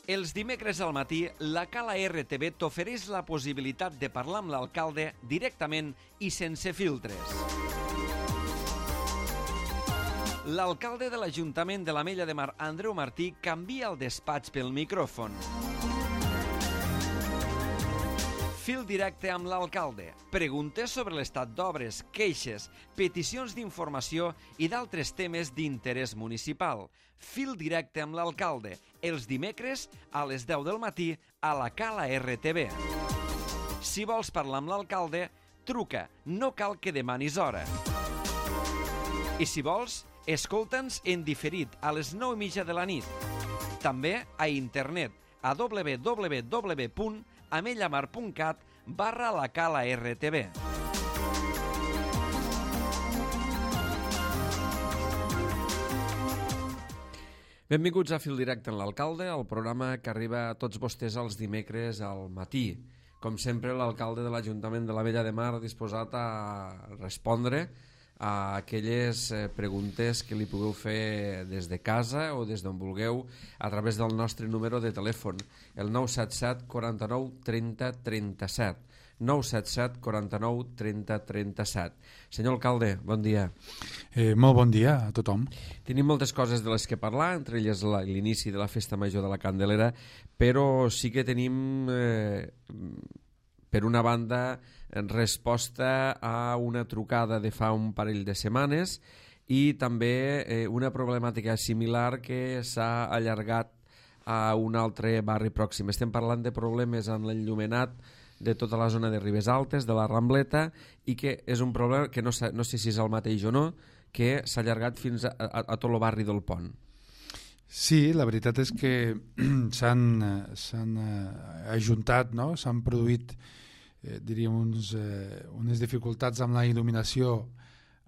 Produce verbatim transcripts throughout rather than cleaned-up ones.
Els dimecres al matí, la Cala R T V t'ofereix la possibilitat de parlar amb l'alcalde directament i sense filtres. L'alcalde de l'Ajuntament de l'Ametlla de Mar, Andreu Martí, canvia el despatx pel micròfon. Fil directe amb l'alcalde. Preguntes sobre l'estat d'obres, queixes, peticions d'informació i d'altres temes d'interès municipal. Fil directe amb l'alcalde. Els dimecres a les deu del matí a la Cala R T V. Si vols parlar amb l'alcalde, truca. No cal que demanis hora. I si vols, escolta'ns en diferit a les nou i mitja de la nit. També a internet a w w w punt amellamar punt cat barra la Cala R T V. Benvinguts a Fil Directe amb l'alcalde, el programa que arriba a tots vostès els dimecres al matí. Com sempre, l'alcalde de l'Ajuntament de l'Ametlla de Mar disposat a respondre a aquelles preguntes que li pugueu fer des de casa o des d'on vulgueu a través del nostre número de telèfon, el nou set set quaranta-nou trenta trenta-set. nou set set quaranta-nou trenta trenta-set. Senyor alcalde, bon dia. Eh, molt bon dia a tothom. Tenim moltes coses de les que parlar, entre elles l'inici de la Festa Major de la Candelera, però sí que tenim, eh, per una banda, resposta a una trucada de fa un parell de setmanes i també eh, una problemàtica similar que s'ha allargat a un altre barri pròxim. Estem parlant de problemes amb l'enllumenat de tota la zona de Ribes Altes, de la Rambleta, i que és un problema que no, no sé si és el mateix o no, que s'ha allargat fins a, a, a tot el barri del Pont. Sí, la veritat és que s'han s'han ajuntat, no? S'han produït eh, diríem uns, eh, unes dificultats amb la il·luminació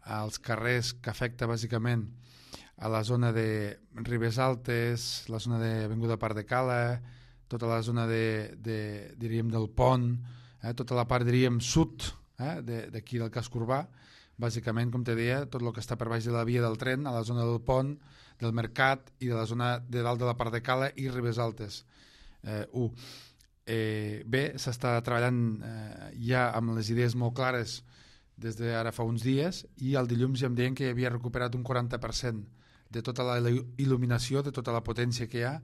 als carrers que afecta bàsicament a la zona de Ribes Altes, la zona d'Avinguda Parc de Cala, tota la zona de, de, diríem, del Pont, eh, tota la part, diríem, sud eh, d'aquí del casc urbà, bàsicament, com te deia, tot el que està per baix de la via del tren, a la zona del Pont, del Mercat i de la zona de dalt de la Parc de Cala i Ribes Altes. Eh, u. Eh, bé, s'està treballant eh, ja amb les idees molt clares des d'ara fa uns dies i el dilluns ja em deien que havia recuperat un quaranta per cent de tota la il·luminació, de tota la potència que hi ha,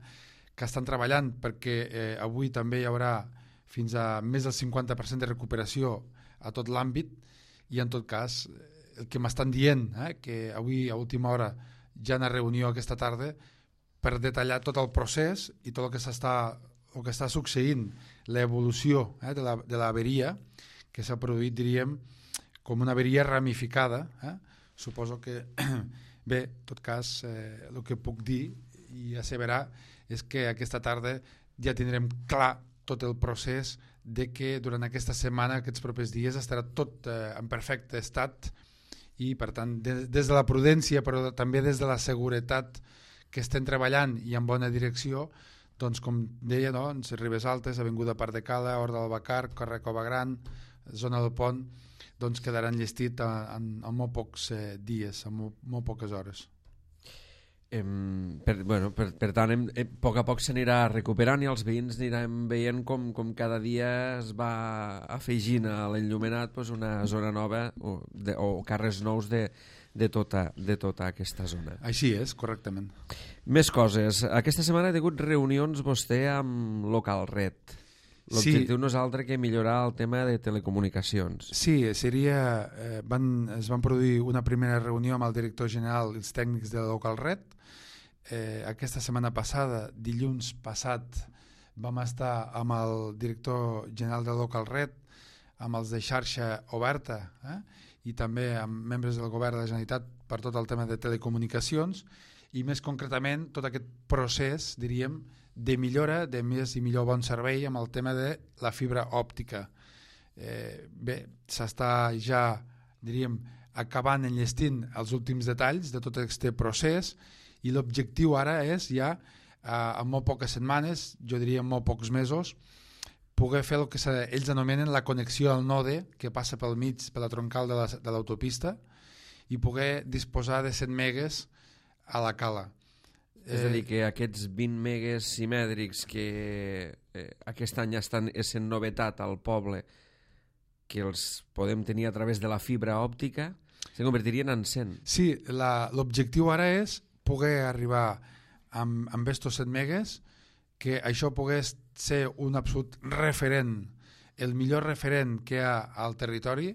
que estan treballant perquè eh, avui també hi haurà fins a més del cinquanta per cent de recuperació a tot l'àmbit i en tot cas el que m'estan dient, eh, que avui a última hora ja hi ha una reunió aquesta tarda per detallar tot el procés i tot el que s'està el que està succeint, l'evolució eh, de la, de l'averia que s'ha produït, diríem, com una averia ramificada. Eh? Suposo que, bé, en tot cas, eh, el que puc dir i asseverar és que aquesta tarda ja tindrem clar tot el procés de que durant aquesta setmana, aquests propers dies, estarà tot eh, en perfecte estat i, per tant, des, des de la prudència, però també des de la seguretat que estem treballant i en bona direcció, doncs, com deia, doncs, Ribes Altes, Avinguda Parc de Cala, Hort del Bacar, carrer Cova Gran, zona del Pont, doncs quedaran llestit en, en molt pocs eh, dies, en molt, molt poques hores. Em, per, bueno, per, per tant, em, em, a poc a poc s'anirà recuperant i els veïns anirem veient com, com cada dia es va afegint a l'enllumenat pues, una zona nova o, de, o carrers nous de, de, tota, de tota aquesta zona. Així és, correctament. Més coses. Aquesta setmana ha hagut reunions vostè amb Local Red. L'objectiu sí. No és altre que millorar el tema de telecomunicacions. Sí, seria, eh, van, es van produir una primera reunió amb el director general i els tècnics de Local Red. Eh, aquesta setmana passada, dilluns passat, vam estar amb el director general de Local Red, amb els de xarxa oberta eh, i també amb membres del govern de la Generalitat per tot el tema de telecomunicacions i més concretament tot aquest procés, diríem, de millora, de més i millor bon servei amb el tema de la fibra òptica. Eh, bé, s'està ja, diríem, acabant enllestint els últims detalls de tot aquest procés i l'objectiu ara és ja, eh, en molt poques setmanes, jo diria en molt pocs mesos, poder fer el que ells anomenen la connexió al node que passa pel mig, per la troncal de, la, de l'autopista i poder disposar de cent megues a la cala. És a dir, que aquests vint megues simètrics que eh, aquest any estan essent novetat al poble, que els podem tenir a través de la fibra òptica, se convertirien en cent. Sí, l'objectiu ara és poder arribar amb, amb estos set megues, que això pogués ser un absolut referent, el millor referent que hi ha al territori,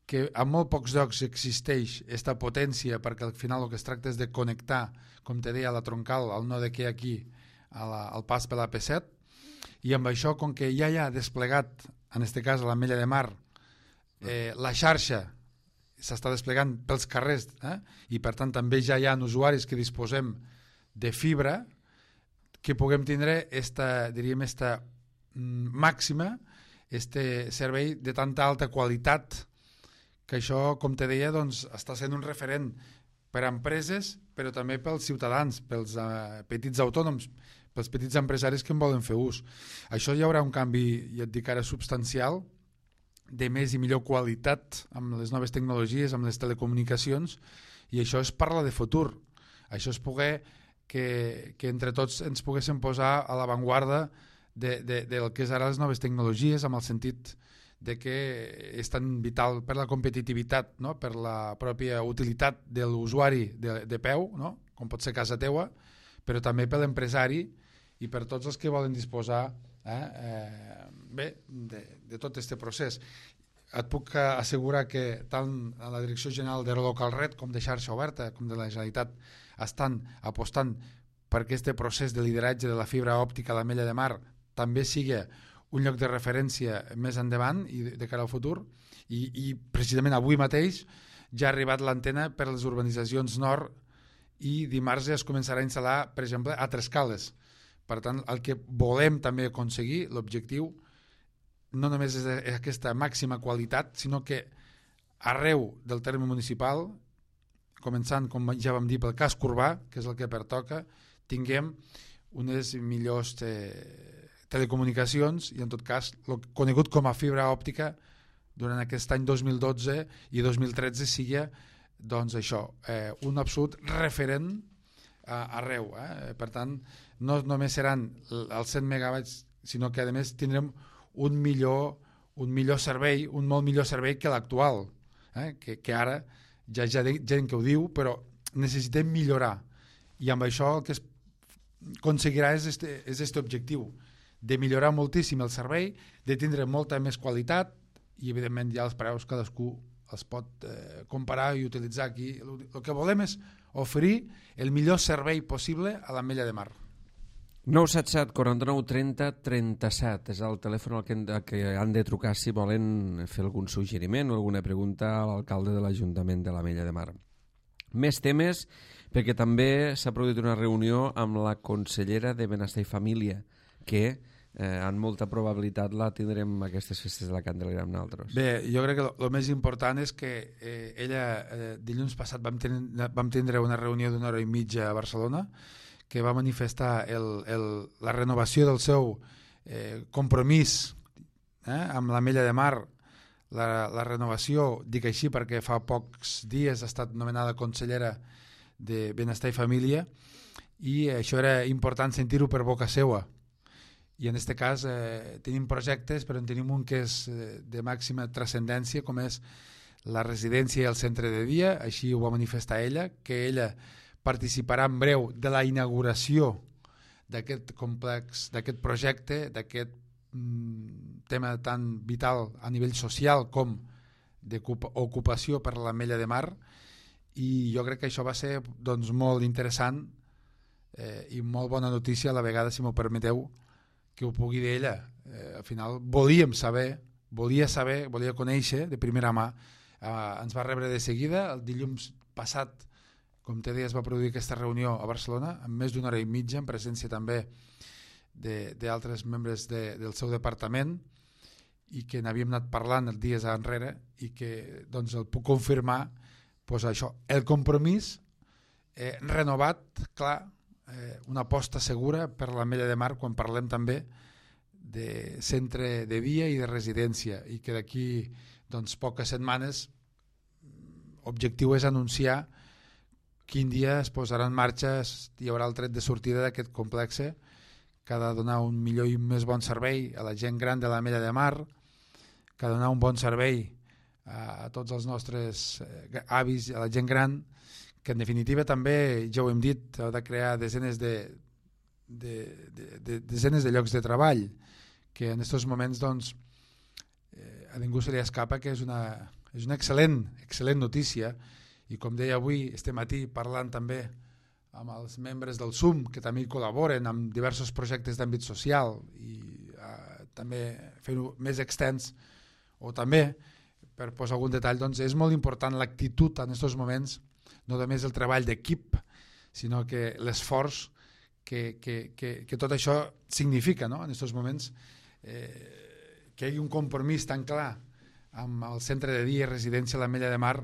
que a molt pocs llocs existeix aquesta potència, perquè al final el que es tracta és de connectar, com te deia, la troncal, el node que hi ha aquí, a la, al pas per la P set, i amb això, com que ja hi ha desplegat, en aquest cas a l'Ametlla de Mar, eh, la xarxa s'està desplegant pels carrers, eh? I per tant també ja hi ha usuaris que disposem de fibra, que puguem tindre esta, diríem, esta màxima, este servei de tanta alta qualitat, que això, com te deia, doncs, està sent un referent per a empreses, però també pels ciutadans, pels uh, petits autònoms, pels petits empresaris que en volen fer ús. Això hi haurà un canvi, ja et dic ara, substancial, de més i millor qualitat amb les noves tecnologies, amb les telecomunicacions, i això es parla de futur. Això és poder que, que entre tots ens poguéssim posar a l'avantguarda de, de, del que és ara les noves tecnologies, amb el sentit de que és tan vital per la competitivitat, no? Per la pròpia utilitat de l'usuari de, de peu, no? Com pot ser casa teua, però també per l'empresari i per tots els que volen disposar eh, eh, bé, de, de tot aquest procés. Et puc assegurar que tant a la Direcció General de Local Red com de Xarxa Oberta com de la Generalitat estan apostant perquè aquest procés de lideratge de la fibra òptica a l'Ametlla de Mar també sigui un lloc de referència més endavant i de cara al futur, i, i precisament avui mateix ja ha arribat l'antena per a les urbanitzacions nord i dimarts ja es començarà a instal·lar, per exemple, a Trescales. Per tant, el que volem també aconseguir, l'objectiu, no només és aquesta màxima qualitat, sinó que arreu del terme municipal, començant, com ja vam dir, pel casc urbà, que és el que pertoca, tinguem unes millors eh, telecomunicacions i en tot cas el conegut com a fibra òptica durant aquest any dos mil dotze i dos mil tretze sigui doncs això, eh, un absolut referent eh, arreu. Eh? Per tant, no només seran els cent megabytes, sinó que a més tindrem un millor, un millor servei, un molt millor servei que l'actual, eh? que, que ara ja hi ha gent que ho diu, però necessitem millorar i amb això el que es aconseguirà és este, és este objectiu, de millorar moltíssim el servei, de tindre molta més qualitat i evidentment ja els preus cadascú els pot eh, comparar i utilitzar aquí. El, el que volem és oferir el millor servei possible a l'Ametlla de Mar. nou set set, quaranta-nou, trenta, trenta-set és el telèfon al que, al que han de trucar si volen fer algun suggeriment o alguna pregunta a l'alcalde de l'Ajuntament de l'Ametlla de Mar. Més temes, perquè també s'ha produït una reunió amb la consellera de Benestar i Família, que eh, amb molta probabilitat la tindrem aquestes festes de la Candelera amb nosaltres. Bé, jo crec que el més important és que eh, ella, eh, dilluns passat vam, ten vam tindre una reunió d'una hora i mitja a Barcelona que va manifestar el, el, la renovació del seu eh, compromís eh, amb l'Ametlla de Mar, la, la renovació, dic així perquè fa pocs dies ha estat nomenada consellera de Benestar i Família i això era important sentir-ho per boca seua. I en aquest cas eh, tenim projectes, però en tenim un que és eh, de màxima transcendència, com és la residència i el centre de dia, així ho va manifestar ella, que ella participarà en breu de la inauguració d'aquest complex, d'aquest projecte, d'aquest mm, tema tan vital a nivell social com d'ocupació per l'Ametlla de Mar, i jo crec que això va ser doncs, molt interessant eh, i molt bona notícia a la vegada, si m'ho permeteu, que ho pugui dir ella. Eh, al final volíem saber, volia saber, volia conèixer de primera mà. Eh, ens va rebre de seguida, el dilluns passat, com te deia, es va produir aquesta reunió a Barcelona, amb més d'una hora i mitja, en presència també d'altres membres de, del seu departament, i que n'havíem anat parlant els dies enrere, i que doncs, el puc confirmar, doncs això, el compromís eh, renovat, clar, eh, una aposta segura per l'Ametlla de Mar quan parlem també de centre de dia i de residència, i que d'aquí doncs, poques setmanes objectiu és anunciar quin dia es posarà en marxa, hi haurà el tret de sortida d'aquest complex que ha de donar un millor i més bon servei a la gent gran de l'Ametlla de Mar, que ha de donar un bon servei a, a tots els nostres eh, avis, a la gent gran, que en definitiva també, ja ho hem dit, ha de crear desenes de, de, de, de, desenes de llocs de treball, que en aquests moments doncs, eh, a ningú se li escapa que és una, és una excel·lent, excel·lent notícia, i com deia avui, este matí, parlant també amb els membres del S U M, que també hi col·laboren amb diversos projectes d'àmbit social i eh, també fer-ho més extens, o també, per posar algun detall, doncs és molt important l'actitud en aquests moments, no només el treball d'equip, sinó que l'esforç que, que, que, que tot això significa, no? En aquests moments, eh, que hi hagi un compromís tan clar amb el centre de dia i residència a l'Ametlla de Mar,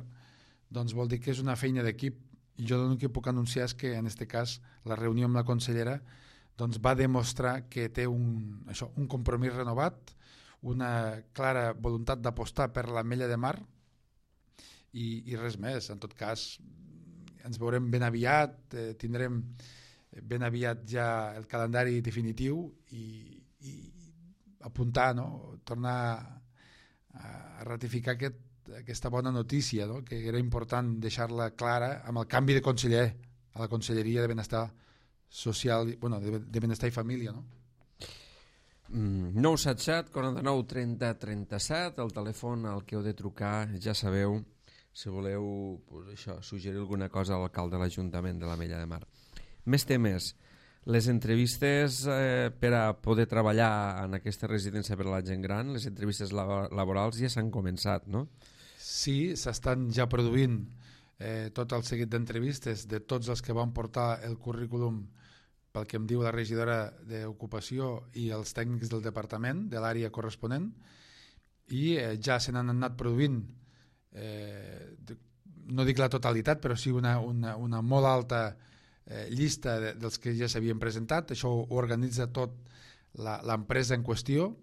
doncs vol dir que és una feina d'equip. I jo l'únic que puc anunciar és que en aquest cas la reunió amb la consellera doncs va demostrar que té un, això, un compromís renovat, una clara voluntat d'apostar per l'Ametlla de Mar i, i res més. En tot cas, ens veurem ben aviat, eh, tindrem ben aviat ja el calendari definitiu i, i apuntar, no? Tornar a ratificar aquest, aquesta bona notícia, no? Que era important deixar-la clara amb el canvi de conseller a la Conselleria de Benestar Social, bueno, de, de Benestar i Família, no? Mm, nou set set, quaranta-nou, trenta, trenta-set, el telèfon al que heu de trucar, ja sabeu, si voleu pues, això, suggerir alguna cosa a l'alcalde de l'Ajuntament de l'Ametlla de Mar. Més temes. Les entrevistes eh, per a poder treballar en aquesta residència per a la gent gran, les entrevistes laborals ja s'han començat, no? Sí, s'estan ja produint eh, tot el seguit d'entrevistes de tots els que van portar el currículum pel que em diu la regidora d'Ocupació i els tècnics del departament, de l'àrea corresponent, i eh, ja se n'han anat produint, eh, de, no dic la totalitat, però sí una, una, una molt alta eh, llista de, dels que ja s'havien presentat. Això ho organitza tot l'empresa en qüestió,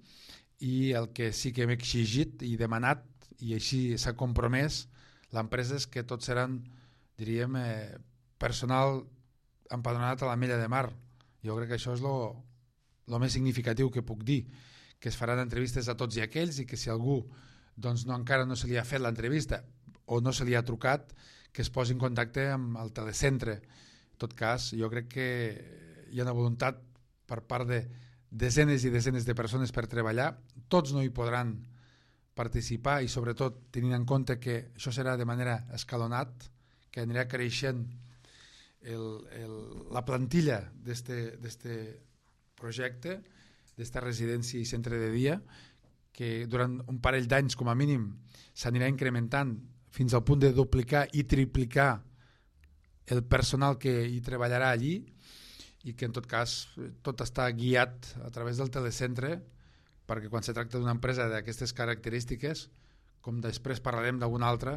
i el que sí que hem exigit i demanat, i així s'ha compromès l'empresa, és que tots seran, diríem, eh, personal empadronat a l'Ametlla de Mar. Jo crec que això és lo, lo més significatiu que puc dir, que es faran entrevistes a tots i aquells, i que si algú doncs, no, encara no se li ha fet l'entrevista o no se li ha trucat, que es posi en contacte amb el telecentre. En tot cas, jo crec que hi ha una voluntat per part de desenes i desenes de persones per treballar. Tots no hi podran participar, i sobretot tenint en compte que això serà de manera escalonat, que anirà creixent el, el, la plantilla d'aquest projecte, d'esta residència i centre de dia, que durant un parell d'anys com a mínim s'anirà incrementant fins al punt de duplicar i triplicar el personal que hi treballarà allí, i que en tot cas tot està guiat a través del telecentre, perquè quan se tracta d'una empresa d'aquestes característiques, com després parlarem d'alguna altra,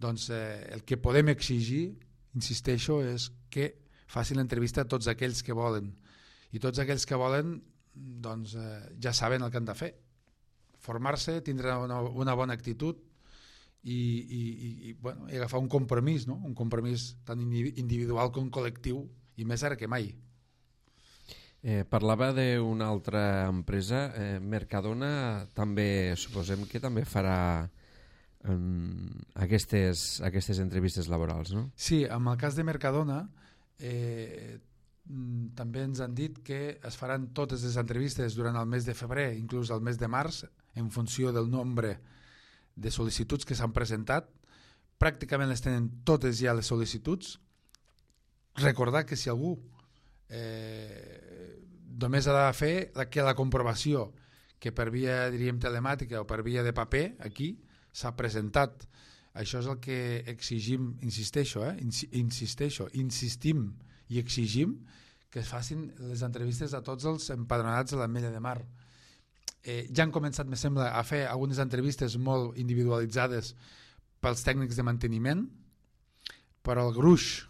doncs eh, el que podem exigir, insisteixo, és que facin l'entrevista a tots aquells que volen, i tots aquells que volen doncs eh, ja saben el que han de fer, formar-se, tindre una, una bona actitud i, i, i, i, bueno, i agafar un compromís, no? Un compromís tant individual com col·lectiu, i més ara que mai. Eh, parlava d'una altra empresa, eh, Mercadona, també suposem que també farà eh, aquestes, aquestes entrevistes laborals, no? Sí, en el cas de Mercadona eh, també ens han dit que es faran totes les entrevistes durant el mes de febrer, inclús el mes de març, en funció del nombre de sol·licituds que s'han presentat. Pràcticament les tenen totes ja les sol·licituds. Recordar que si algú eh, només ha de fer la, que la comprovació que per via, diríem, telemàtica o per via de paper aquí s'ha presentat. Això és el que exigim, insisteixo, eh? insisteixo, insistim i exigim que es facin les entrevistes a tots els empadronats de l'Ametlla de Mar. Eh, ja han començat, me sembla, a fer algunes entrevistes molt individualitzades pels tècnics de manteniment, però el gruix,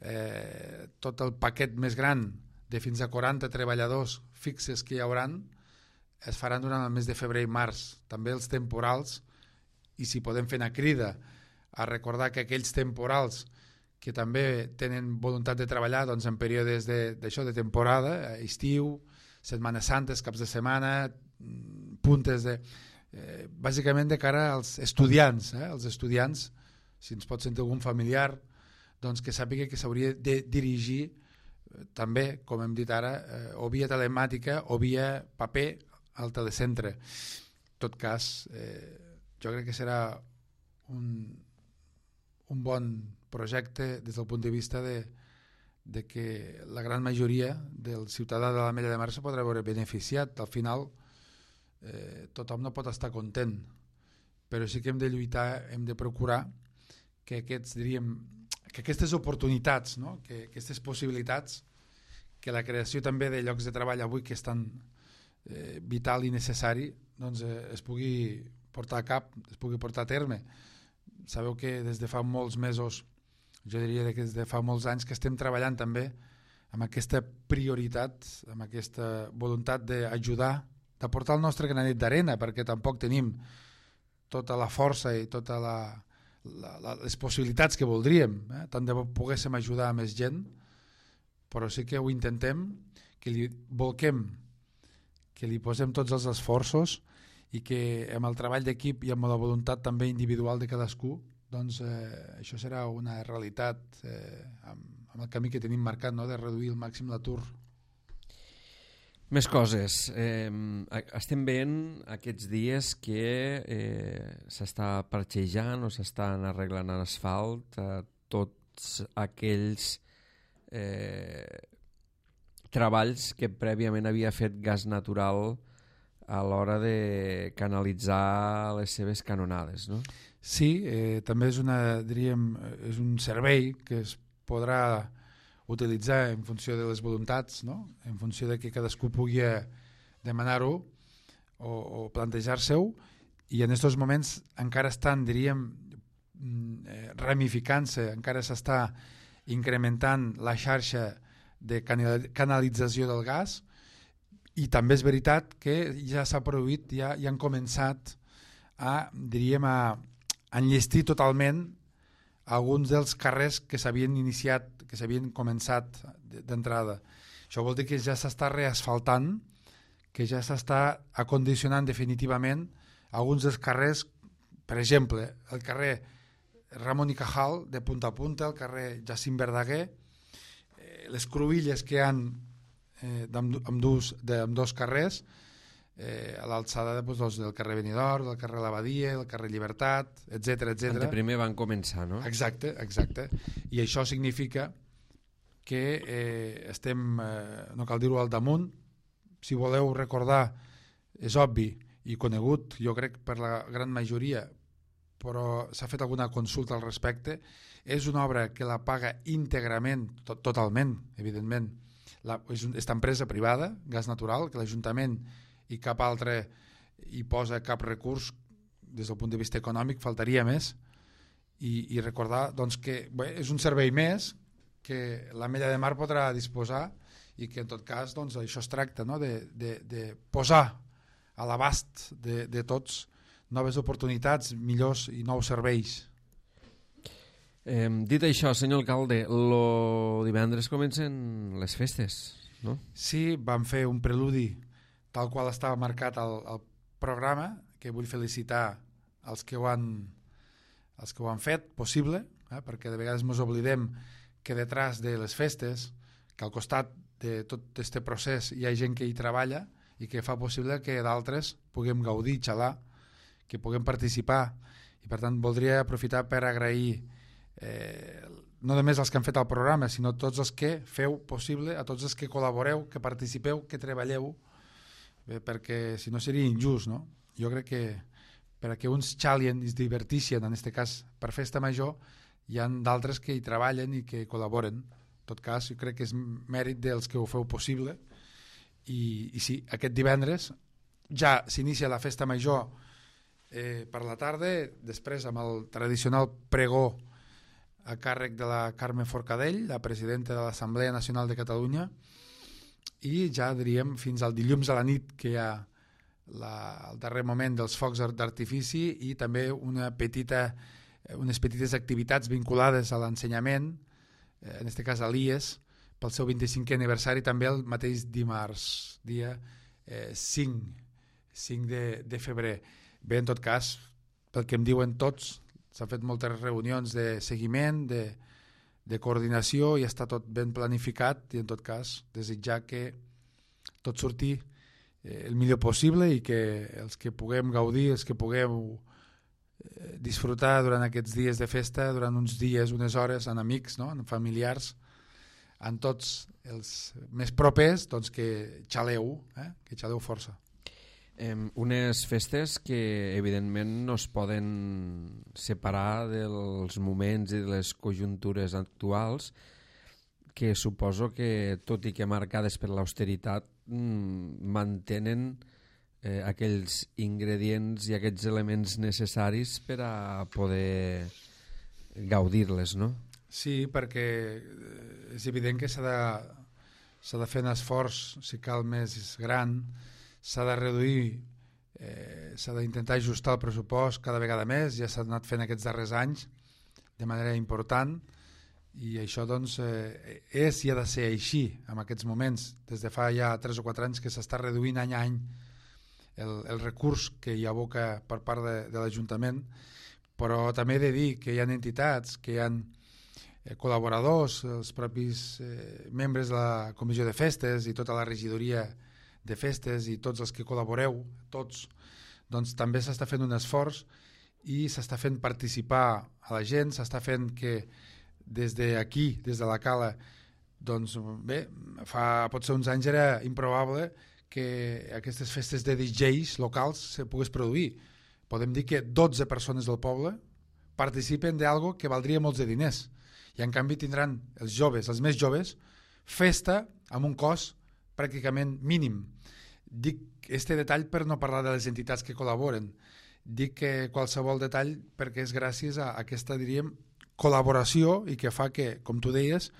eh, tot el paquet més gran de fins a quaranta treballadors fixes que hi hauran, es faran durant el mes de febrer i març. També els temporals, i si podem fer una crida a recordar que aquells temporals que també tenen voluntat de treballar doncs, en períodes d'això, de, de temporada, estiu, Setmana Santes, caps de setmana, puntes de... Eh, bàsicament de cara als estudiants, eh? Els estudiants, si ens pot sentir algun familiar, doncs que sàpiga que s'hauria de dirigir eh, també, com hem dit ara, eh, o via telemàtica o via paper al telecentre. En tot cas, eh, jo crec que serà un, un bon projecte des del punt de vista de, de que la gran majoria del ciutadà de l'Ametlla de Mar se podrà veure beneficiat. Al final, eh, tothom no pot estar content, però sí que hem de lluitar, hem de procurar que, aquests, diríem, que aquestes oportunitats, no? que aquestes possibilitats, que la creació també de llocs de treball avui que és tan eh, vital i necessari, doncs eh, es pugui portar a cap, es pugui portar a terme. Sabeu que des de fa molts mesos, jo diria que des de fa molts anys que estem treballant també amb aquesta prioritat, amb aquesta voluntat d'ajudar, d'aportar el nostre granet d'arena, perquè tampoc tenim tota la força i totes la, la, la, les possibilitats que voldríem, eh? Tant de bo poguéssim ajudar a més gent, però sí que ho intentem, que li volquem, que li posem tots els esforços i que amb el treball d'equip i amb la voluntat també individual de cadascú, doncs eh, això serà una realitat eh, amb, amb el camí que tenim marcat, no? De reduir al màxim l'atur. Més coses. Eh, estem veient aquests dies que eh, s'està parxejant o s'estan arreglant l'asfalt a tots aquells eh, treballs que prèviament havia fet Gas Natural a l'hora de canalitzar les seves canonades, no? Sí, eh, també és, una, diríem, és un servei que es podrà utilitzar en funció de les voluntats, no? En funció de que cadascú pugui demanar-ho o, o plantejar-se-ho, i en aquests moments encara estan, diríem, ramificant-se, encara s'està incrementant la xarxa de canalització del gas, i també és veritat que ja s'ha produït, ja, ja han començat a, diríem, a enllestir totalment alguns dels carrers que s'havien iniciat, que s'havien començat d'entrada. Això vol dir que ja s'està reasfaltant, que ja s'està acondicionant definitivament alguns dels carrers, per exemple, el carrer Ramon i Cajal, de punta a punta, el carrer Jacint Verdaguer, eh, les cruïlles que hi ha eh, d'ambdós carrers, eh, a l'alçada de, doncs, del carrer Benidorm, del carrer l'Abadia, del carrer Llibertat, etcètera, etcètera. De primer van començar, no? Exacte, exacte. I això significa que eh, estem, eh, no cal dir-ho al damunt, si voleu recordar, és obvi i conegut, jo crec, per la gran majoria, però s'ha fet alguna consulta al respecte, és una obra que la paga íntegrament, to totalment, evidentment, la, és aquesta empresa privada, Gas Natural, que l'Ajuntament i cap altre hi posa cap recurs des del punt de vista econòmic, faltaria més, i, i recordar doncs, que bé, és un servei més que l'Ametlla de Mar podrà disposar i que en tot cas doncs, això es tracta, no? de, de, de posar a l'abast de, de tots noves oportunitats, millors i nous serveis. Eh, dit això, senyor alcalde, lo divendres comencen les festes, no? Sí, vam fer un preludi tal qual estava marcat al, al programa, que vull felicitar els que ho han, els que ho han fet possible, eh? Perquè de vegades ens oblidem que detrás de les festes, que al costat de tot aquest procés hi ha gent que hi treballa i que fa possible que d'altres puguem gaudir, xalar, que puguem participar, i per tant voldria aprofitar per agrair eh, no només els que han fet el programa, sinó tots els que feu possible, a tots els que col·laboreu, que participeu, que treballeu, bé, perquè si no seria injust, no? Jo crec que perquè uns xalien i es divertixen, en aquest cas per festa major, hi ha d'altres que hi treballen i que col·laboren. En tot cas, jo crec que és mèrit dels que ho feu possible, i, i sí, aquest divendres ja s'inicia la festa major eh, per la tarda, després amb el tradicional pregó a càrrec de la Carme Forcadell, la presidenta de l'Assemblea Nacional de Catalunya, i ja diríem fins al dilluns a la nit, que hi ha la, el darrer moment dels focs d'artifici, i també una petita, unes petites activitats vinculades a l'ensenyament, en aquest cas a l'I E S, pel seu vint-i-cinquè aniversari, també el mateix dimarts, dia eh, cinc, cinc de, de febrer. Bé, en tot cas, pel que em diuen tots, s'han fet moltes reunions de seguiment, de, de coordinació, i està tot ben planificat, i en tot cas desitjar que tot surti eh, el millor possible i que els que puguem gaudir, els que puguem eh, disfrutar durant aquests dies de festa, durant uns dies, unes hores, amb amics, no? Amb familiars, amb tots els més propers, doncs que xaleu, eh? que xaleu força. Eh, unes festes que evidentment no es poden separar dels moments i de les conjuntures actuals, que suposo que, tot i que marcades per l'austeritat, mmm, mantenen eh, aquells ingredients i aquells elements necessaris per a poder gaudir-les, no? Sí, perquè és evident que s'ha de, s'ha de fer un esforç, si cal més gran, s'ha de reduir, eh, s'ha d'intentar ajustar el pressupost cada vegada més, ja s'ha anat fent aquests darrers anys de manera important, i això doncs eh, és i ha de ser així en aquests moments. Des de fa ja tres o quatre anys que s'està reduint any a any el, el recurs que hi aboca per part de, de l'Ajuntament, però també he de dir que hi ha entitats, que hi ha col·laboradors, els propis eh, membres de la Comissió de Festes i tota la regidoria de festes i tots els que col·laboreu, tots, doncs també s'està fent un esforç i s'està fent participar a la gent, s'està fent que des d'aquí, des de la Cala, doncs bé, fa potser uns anys era improbable que aquestes festes de D Js locals se pogués produir. Podem dir que dotze persones del poble participen d'algo que valdria molts de diners, i en canvi tindran els joves, els més joves, festa amb un cost pràcticament mínim. Dic este detall per no parlar de les entitats que col·laboren. Dic que qualsevol detall perquè és gràcies a aquesta, diríem, col·laboració, i que fa que, com tu deies,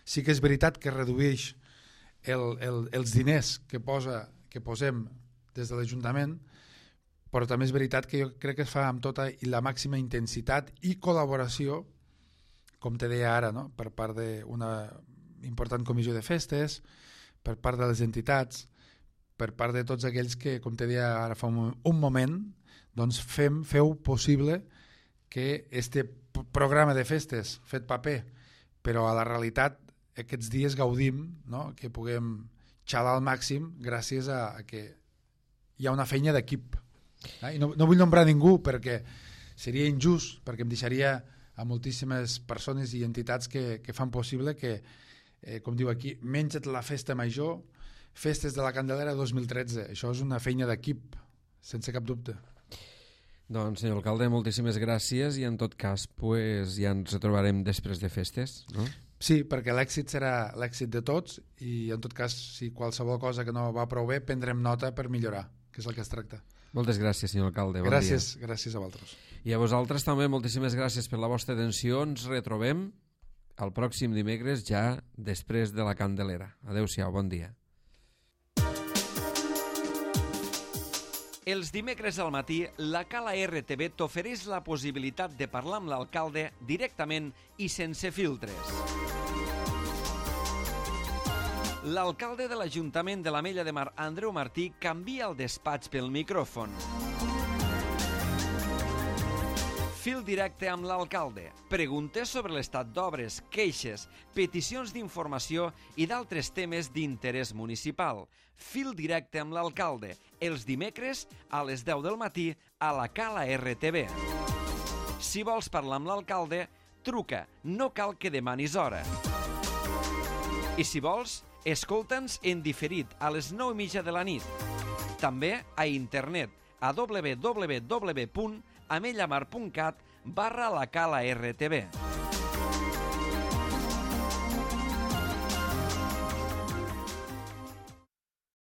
sí que és veritat que redueix el, el, els diners que, posa, que posem des de l'Ajuntament, però també és veritat que jo crec que es fa amb tota la màxima intensitat i col·laboració, com te deia ara, no? Per part d'una important comissió de festes, per part de les entitats, per part de tots aquells que, com te deia ara fa un, un moment, doncs fem, feu possible que este programa de festes fet paper, però a la realitat aquests dies gaudim, no? Que puguem xalar al màxim gràcies a, a que hi ha una feina d'equip. Eh? I no, no vull nombrar ningú perquè seria injust, perquè em deixaria a moltíssimes persones i entitats que, que fan possible que, eh, com diu aquí, menja't la festa major, festes de la Candelera dos mil tretze. Això és una feina d'equip, sense cap dubte. Doncs, senyor alcalde, moltíssimes gràcies, i en tot cas pues, ja ens retrobarem després de festes, no? Sí, perquè l'èxit serà l'èxit de tots, i en tot cas, si qualsevol cosa que no va prou bé, prendrem nota per millorar, que és el que es tracta. Moltes gràcies, senyor alcalde. Bon gràcies, dia. Gràcies a vosaltres. I a vosaltres també moltíssimes gràcies per la vostra atenció. Ens retrobem el pròxim dimecres, ja després de la Candelera. Adéu-siau, bon dia. Els dimecres al matí, la Cala R T V t'ofereix la possibilitat de parlar amb l'alcalde directament i sense filtres. L'alcalde de l'Ajuntament de l'Ametlla de Mar, Andreu Martí, canvia el despatx pel micròfon. Fil directe amb l'alcalde. Preguntes sobre l'estat d'obres, queixes, peticions d'informació i d'altres temes d'interès municipal. Fil directe amb l'alcalde. Els dimecres a les deu del matí a la Cala R T V. Si vols parlar amb l'alcalde, truca. No cal que demanis hora. I si vols, escolta'ns en diferit a les nou i mitja de la nit. També a internet a w w w punt amellamar punt cat barra la Cala R T V.